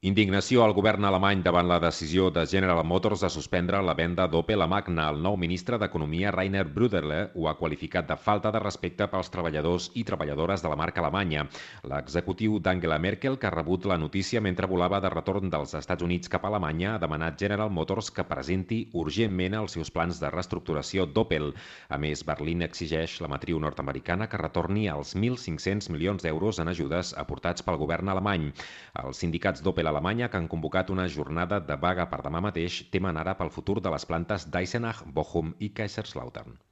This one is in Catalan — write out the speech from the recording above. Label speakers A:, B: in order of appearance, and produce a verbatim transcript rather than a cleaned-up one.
A: Indignació al govern alemany davant la decisió de General Motors de suspendre la venda d'Opel a Magna. El nou ministre d'Economia, Rainer Bruderle, ho ha qualificat de falta de respecte pels treballadors i treballadores de la marca alemanya. L'executiu d'Angela Merkel, que ha rebut la notícia mentre volava de retorn dels Estats Units cap a Alemanya, ha demanat General Motors que presenti urgentment els seus plans de reestructuració d'Opel. A més, Berlín exigeix la matriu nord-americana que retorni els mil cinc-cents milions d'euros en ajudes aportats pel govern alemany. Els sindicats d'Opel Alemanya, que han convocat una jornada de vaga per demà mateix, temen ara pel futur de les plantes d'Eisenach, Bochum i Kaiserslautern.